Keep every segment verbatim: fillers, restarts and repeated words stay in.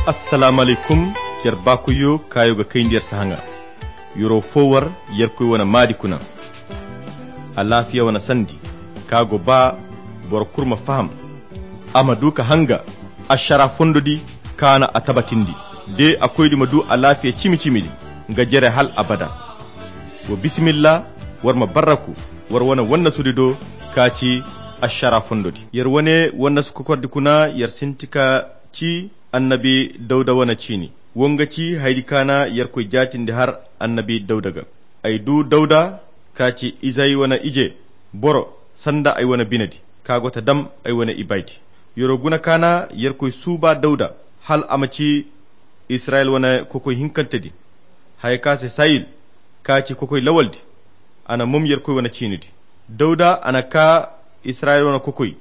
Assalaamu alaykum. Yer baakoyyo kaayo ga kayndi yer sahaŋa. Yer'o fo war yerkoy wane maadi kuna. Alaafiya wane sandi ka go ba boro kulu ma faham, a ma du ka hanga ašara fondo di kaana a tabatindi. De a koydi ma du alaafiya cimi-cimi di nga jere hal abada. Wa bisimilla, war ma barraku war wane wannasudi do ka ci ašara fondo di. Yer wane wannasu kokordi kuna yer sinti ka ci annabi dawda wane ciini. Wo nga ci hayadi kaana yerkoy jaatindi har annabi dawda ga. Ay du dawda ka ci izay wane ije boro sanda ay wane bine di ka go ta dam ay wane ibaydi. Yer'o guna kaana yerkoy suuba dawda hal a ma ci israyil wane kokoy hinkante di. Haya ka se sayil ka ci kokoy lawal di. A na mom yerkoy wane ciini di. Dawda a na ka israyil wane kokoy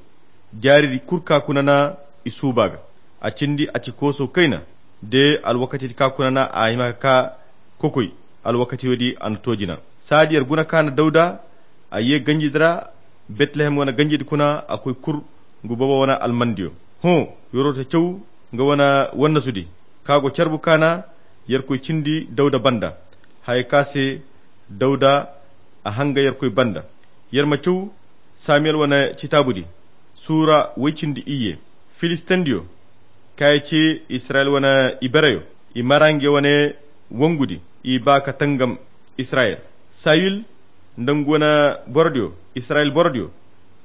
jaaridi kulu ka kuna na i suuba ga. A cindi a ci kooso kayna de alwakatidi ka kuna na a hima ka ka kokoy. Alwakati woodi a na to jina. Saadi yer guna ka na dawda a ye ganjidi ra betlehem wane ganjidi kuna a koy kulu ngu boobo wane almandiyo. Hõ, yer'o ta caw nga wane wannasudi ka go carbu kaana yerkoy cindi dawda banda. Haya ka se dawda a hanga yerkoy banda. Yer ma caw samiyel wane citaabudi suura woy cindi iyye. Filistendiyo kaŋ ay ci israyil wane ibereyo i mara nge wane wongudi i ba ka tangam israyil. Sayil nda ngu wane borodiyo israyil borodiyo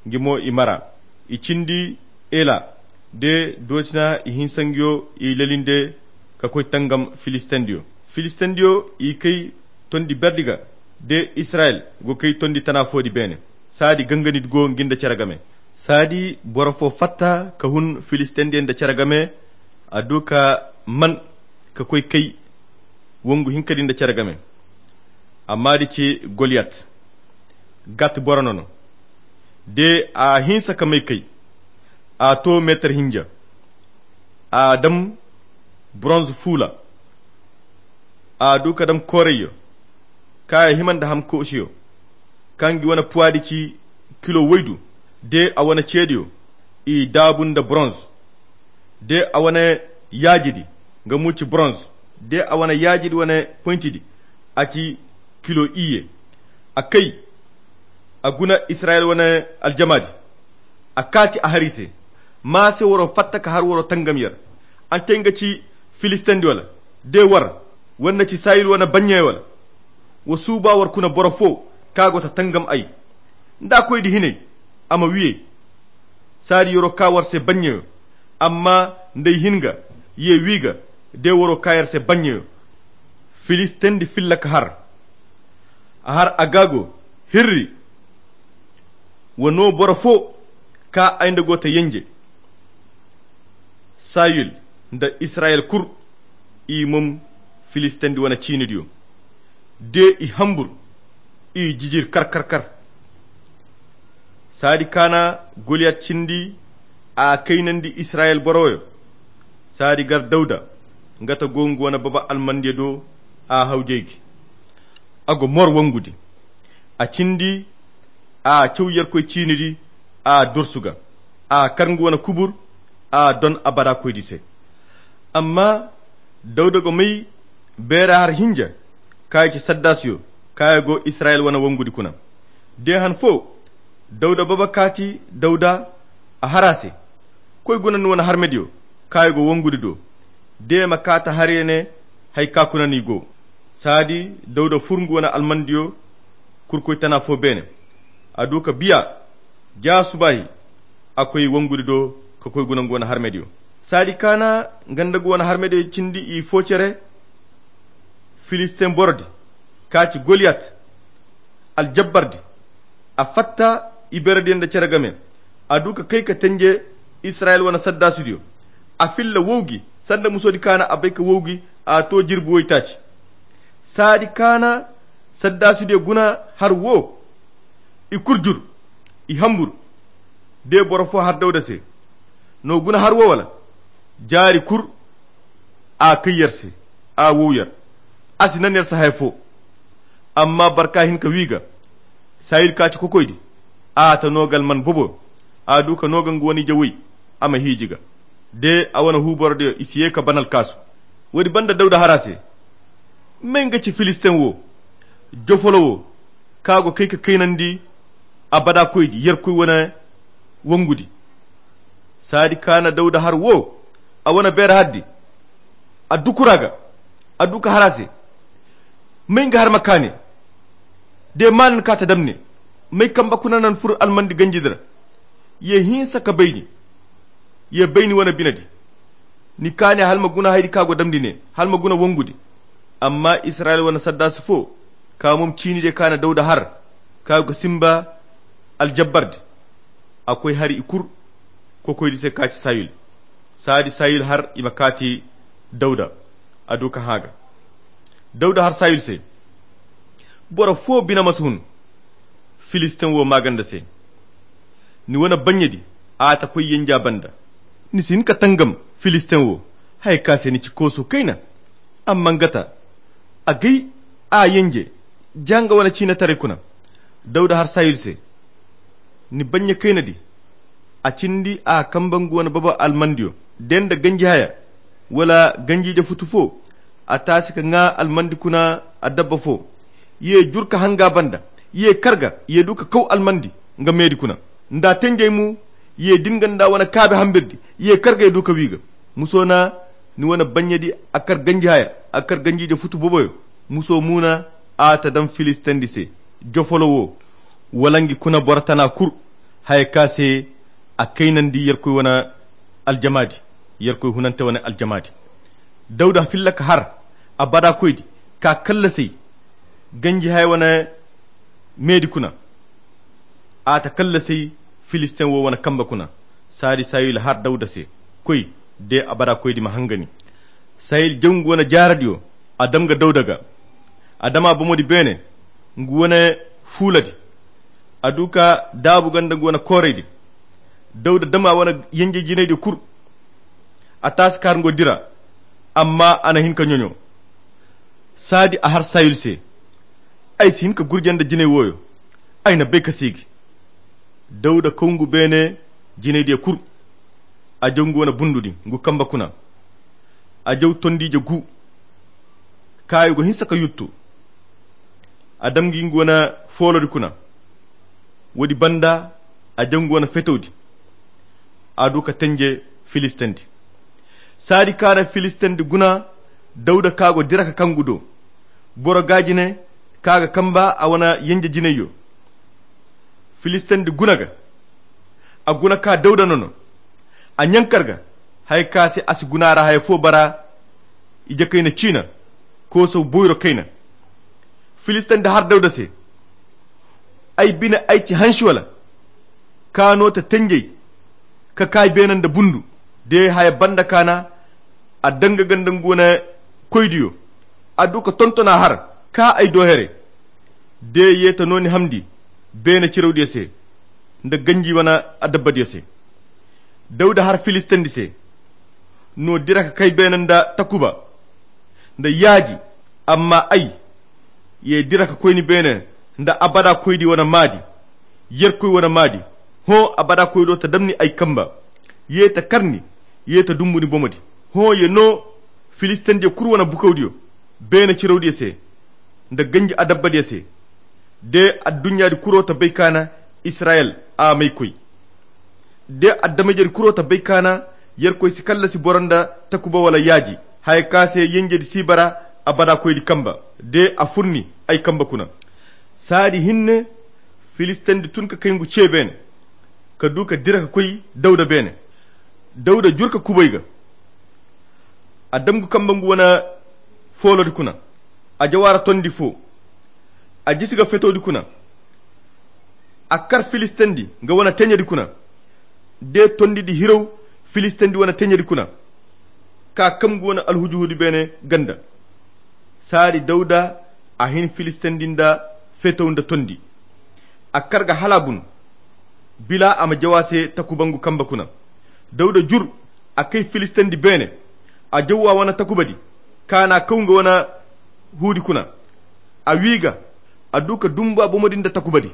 ngi mo i mara. I cindi ela de dootina i hinsa ngiyo i lelinde ka koy tangam filistendiyo. Filistendiyo i kay tondi berdi ga de israyil go kay tondi tana foodi beene. Saadi ganganidi go ngi nda cere game. Saadi boro fo fatta ka hun filistendiyo nda cere game. A du ka man ka koy kay wongu hinkadi nda cere game. Amma di ci goliyat gat boro nono de a hinsa ka may kay. A to meetar hinja a dam bronze fuula. A du ka dam koorayyo kaŋ a hima nda ham koosiyo kaŋ gi wane puwaadi ci kilo woydu de a wane ceediyo i daabu nda bronze de a wane yaajidi nga muuci bronze de a wane yaajidi wane poyntidi a ci kilo iyye. A kay a guna israyil wane aljamaadi. A kaati a har i se. Maa se waro fatta ka har waro tangam yer. An te nga ci filistendi wala de war war na ci sayil wane baɲɲey wala? Wa suuba war kuna boro fo ka go ta tangam ay nda koydi hinay a ma wiyey. Saadi yoro ka war se baɲɲeyo amma nda ay hin ga ye wi ga de waro ka yar se baɲɲeyo. Filistendi filla ka har a har agaago hirri. Wa no boro fo ka ay nda go ta yenje. Sayil nda israyil kul i mom filistendi wane ciinidiyo de i hambur i jijir kar kar kar. Saadi kaana goliyat cindi a kaynandi israyil boroyo. Saadi gar dawda nga ta go ngu wane baba almandiyo do a hawjey gi. A go mor wongudi a cindi a caw yerkoy ciinidi a dorsu ga a kar ngu wane kubur a don abada koydi se. Amma dawda go may beera har hinja kaŋ ay ci saddasiyo kaŋ ay go israyil wane wongudi kuna. De han fo dawda baba kaati dawda a har a se koy guna ni wane harmediyo kaŋ ay go wongudi do. De ma kaata har ya ne hay ka kuna ni go. Saadi dawda fur ngu wane almandiyo kurkoy tana fo beene. A du ka biya ja subaahi a koy wongudi do ka koy guna ngu wane harmediyo. Saadi kaana nga nda ngu wane harmediyo cindi i fo cere. Filisten borodi ka ci goliyat aljabbardi a fatta iberediyo nda cere game. A du ka kay ka tenje israyil wane saddaasidiyo a filla wowgi sanda musodi kaana a bay ka wowgi a to jirbi woytaaci. Saadi kaana saddaasidiyo guna har wo i kul jur i hambur. De boro fo har dawda se no guna har wo wala? Jaari kul a kay yer se a wow yer. A si nan yer se haya fo. Amma barka hin ka wi ga sayil ka ci kokoydi a ta no ga alman bobo. A du ka no ga nga wane ije woy a ma hiiji ga. De a wane huuborodiyo i si ye ka ban alkaasu. Woodi banda dawda har a se, may nga ci filistin wo, jofolo wo, ka go kay ka kaynandi abada koydi yerkoy wane wangudi. Saadi ka na dawda har wo, a wane beera haddi, a dukura ga, a du ka har a se. May nga har ma kaane? De maanan ka ta damne, may kamba kuna nan fur almandi ganjidi ra? Ye hinsa ka bayni, ye bayni wane binedi. Ni kaane hala ma guna haydi ka go damndi ne, hala ma guna wangudi. Amma israyil wane saddaasi fo, ka mom ciini de ka na dawda har, ka go ga simba aljabbardi. A koy hari i kur, kokoydi se ka ci sayil. Saadi sayil har i ma kaati dawda, a du ka hã ga. Dawda har sayil se, boro fo bine ma si hun filistin wo maaganda se. Ni wane bannyedi, a ta koy yenja banda. Ni si hin ka tangam filistin wo, haya ka se ni ci kooso kayna. Amma nga ta, a gay, a yenje ja nga wane ciinataray kuna. Dawda har sayil se, ni bannya kaynadi, a cindi a kamba nga wane baba almandiyo, de nda ganji haya, wala ganjiije futu fo. A taasi ka ŋaa almandi kuna adabba fo, ye jur ka hanga banda, ye kar ga, ye du ka kaw almandi nga meedi kuna. Nda tenjey mo, ye din ga nda wane kaabe hambirdi, ye kar ga ye du ka wi ga. Muso na, ni wane bannyedi, a kar ganji haya, a kar ganjiije futu boboyo. Muso mo na, a ta dam filistindi se, jofolo wo, wala ngi kuna boro tana kur, haya ka se a kaynandi yerkoy wane aljamaadi, yerkoy hunante wane aljamaadi. Dawda filla ka har abadakoydi, ka kallasay ganji haya wane meedi kuna. A ta kallasay filistin wo wane kamba kuna. Saadi sayil har dawda se, koy, de abadakoydi ma hangani. Sayil jaw ngu wane jaaradiyo, a dam ga dawda ga. A dam a bomodi beene ngu wane fuuladi. A du ka daabu ganda ngu wane kooraydi. Dawda dam a wane yenje jinaydi kur. A taasi ka har ngo dira, amma a na hin ka ɲoɲo. Saadi a har sayil se, ay si hin ka gurje nda jinay wooyo. Ay na bay ka siigi. Dawda kaw ngu beene jinaydiyo kur. A jaw ngu wane bundudi ngu kamba kuna. A jaw tondiije gu, kaayo go hinsa ka yuttu. A dam ngi ngu wane foolodi kuna. Woodi banda, a jaw ngu wane fetowdi. A du ka tenje filistindi. Saadi ka na filistindi guna, dawda ka go dira ka kangu do. Boro gaajine ka ga kamba a wane yenje jinayyo. Filistindi guna ga, a guna ka dawda nono. A ɲankar ga, haya ka se a si guna ra haya fo bara. Ije kayna ciina, kooso boyro kayna. Filistindi har dawda se, ay bine ay ci hansi wala? Ka no ta tenjey, ka kaay beene nda bundu. De haya banda ka na a danga ganda ngu wane koydiyo. A du ka tontona har, ka ay do here. De ye ta no ni hamndi beene cirawdiyo se, nda ganji wane adabbadiyo se. Dawda har filistindi se, no dira ka kay beene nda takuba nda yaaji. Amma ay, ye dira ka koy ni beene nda abada koydi wane maadi, yerkoy wane maadi. Hõ, abada koydo ta dam ni ay kamba. Ye ta kar ni, ye ta dumbu ni bomodi. Hõ, ye no filistendiyo kulu wane bukawdiyo, beene cirawdiyo se, nda ganji adabbadiyo se. De adduɲɲaadi kuro ta bay ka na israyel a may koy. De adama-ijedi kuro ta bay ka na yerkoy si kallasi boro nda takuba wala yaaji, haya ka se yenjedi si bara abada koydi kamba. De a fur ni ay kamba kuna. Saadi hinne filistendi tun ka kay ngu ce beene, ka du ka dira ka koy dawda beene. Dawda jur ka kubay ga, a dam ngu kamba ngu wane foolodi kuna. A jawaara tondi fo, a jisi ga fetowdi kuna. A kar filistendi nga wane teɲedi kuna, de tondidi hiraw filistendi wane teɲedi kuna, ka kam ngu wane alhuju-hudu beene ganda. Saadi dawda a hin filistendi nda fetow nda tondi. A kar ga hala a bun, bila a ma jaw a se takuba ngu kamba kuna. Dawda jur, a kay filistendi beene, a jaw a wane takubadi, ka na a kaw nga wane huudi kuna. A wi ga, a du ka dumbu a bomodi nda takubadi.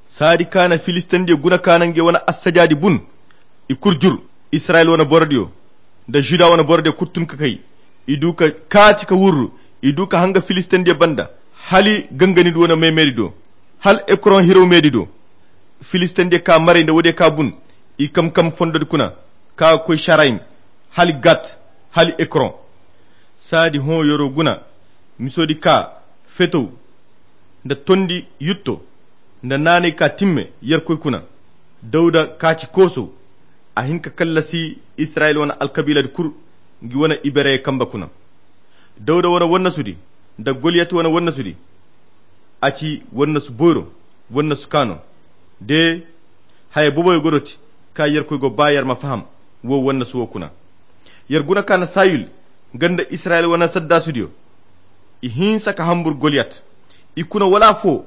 Saadi ka na filistendiyo guna ka na ngey wane assajaadi bun. I kul jur, israyel wane borodiyo. nda Juda wane boro diyo kulu tun ka kay. I du ka kaati ka wurru. I du ka hanga Filistendiyo banda, hala Ganganidi wane me-meedi do, hala Ekron hiraw meedi do. Filistendiyo kaa maray nda woodiyo kaa bun. I kam-kam fondodi kuna, ka ga koy Carayim, hala Gat, hala Ekron. Saadi hõ yer'o guna, misoodi kaa, fetow, nda tondi yutto, nda naanay kaa timme yerkoy kuna. Dawda kaa ci koosow. A hin ka kallasi Israyil wane alkabiiladi kulu, ngi wane iberey kambe kuna. Dawda wane wannasudi, nda Goliyat wane wannasudi, a ci wannasu boyro, wannasu kaa no. De, haya boboyo go do ti, ka yerkoy go baa yer ma faham wo wannasu wo kuna. Yer guna ka na Sayul, nga nda Israyil wane saddaasudiyo, i hinsa ka hambur Goliyat. I kuna wala foo,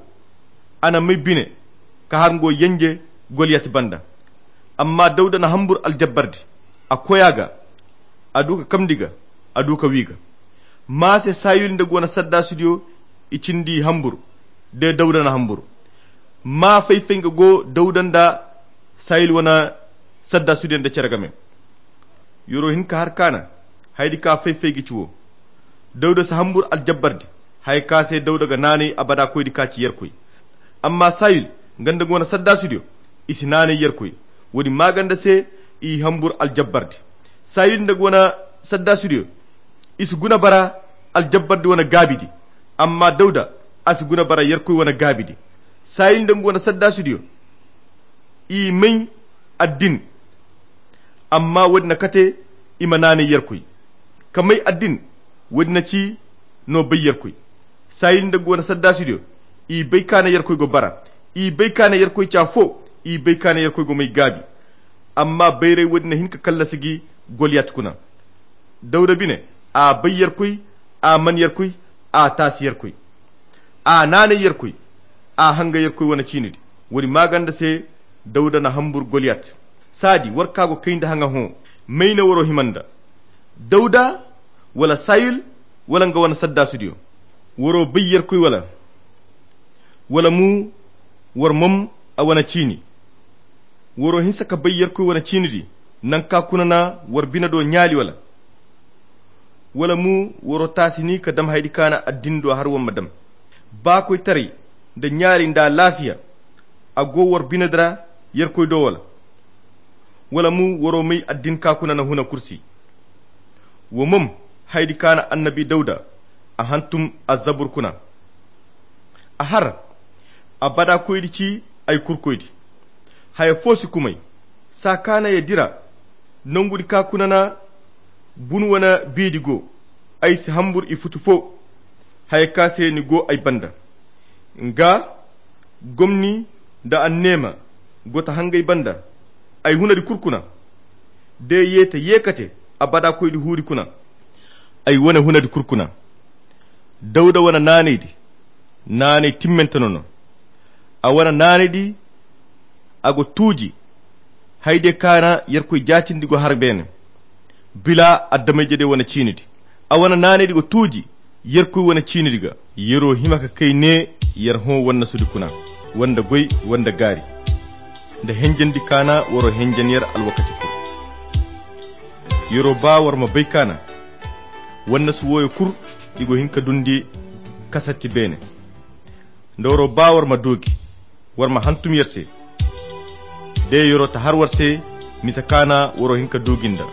a na may bine, ka har nga wo yenje Goliyat banda. Amma Dawda na hambur aljabbardi, a koy a ga, a du ka kamndi ga, a du ka w'i ga. Maa se Sayul nda nga wane saddaasudiyo, i cindi hambur, de Dawda na hambur. Maa fay-fay nga go Dawda nda Sayul wane saddaasudiyo nda cere game. Yer'o hin ka har ka na, hayadi ka fay-fay ga ci wo. Dawda si hambur aljabbardi, haya ka se Dawda ga naanay abada koydi ka ci yerkoy. Amma Sayul, nga nda nga wane saddaasudiyo, i si naanay yerkoy. Woodi maaganda se, i hambur aljabbardi. Sayul nda nga wane saddaasudiyo, i si guna bara aljabbardi wane gaabidi. Amma Dawda, a si guna bara yerkoy wane gaabidi. Sayul nda nga wane saddaasudiyo, i may addin. Amma woodi na kate, i ma naanay yerkoy. Ka may addin, woodi na ci no bay yerkoy. Sayil nda nga wane saddaasudiyo, i bay ka na yerkoy go bara. I bay ka na yerkoy ci afo. I bay ka na yerkoy go may gaabi. Amma bayray woodi na hin ka kallasi gi Goliyat kuna. Dawda bine, a bay yerkoy, a man yerkoy, a taasi yerkoy, a naanay yerkoy, a hanga yerkoy wane ciinidi. Woodi maaganda se, Dawda na hambur Goliyat. Saadi war ka go kay nda haŋa hõ, may na waro hima nda? Dawda, wala Sayul, wala nga wane saddaasudiyo? Waro bay yerkoy wala? Wala mo war mom a wane ciini? Waro hinsa ka bay yerkoy wane ciinidi, naŋ ka kuna na war bine do ɲaali wala? Wala mo waro taasi ni ka dam hayadi ka na addin do har war ma dam? Baakoytaray nda ɲaali nda alaafiya, a go war bine di ra yerkoy do wala? Wala mo waro may addin ka kuna na huna kursi? Wo mom, hayadi ka na annabi Dawda, a hantum azzabur kuna. A har, abada koydi ci ay kurkoydi. Haya fo si kumay, saa ka na ye dira, nongudi ka kuna na bun wane biidi go, ay si hambur i futu fo. Haya ka se ni go ay banda, nga gomni nda anneema go ta hangay banda. Ay hunadi kul kuna, de ye ta ye kate abada koydi huuri kuna. Ay wane hunadi kul kuna. Dawda wane naanaydi, naanay timmante no no. A wane naanaydi, a go tuuji. Hayde ka na yerkoy jaatindi go har beene, bila addamayje de wane ciinidi. A wane naanaydi go tuuji yerkoy wane ciinidi ga. Yero hima ka kay ne, yer hõ wannasudi kuna, wanda goy, wanda gaari, nda henjandi ka na waro henjan yer alwakati kul. Yero ba war ma bay ka na wannasu wooyo kul, i go hin ka dundi kasatti beene. Nda waro ba war ma doogi, war ma hantum yer se. De yero ta har war se, misa ka na waro hin ka doogi nda.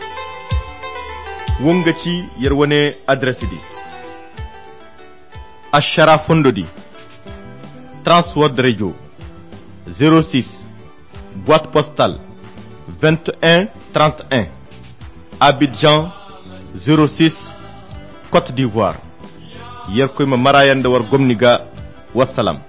Wo nga ci yer wane adresi di. Ašara fondo di, Transworld Radio, zéro six, boîte postale vingt et un trente et un, Abidjan, zéro six, Côte d'Ivoire. Yerkoy ma maraya nda war gomni ga. Wassalam.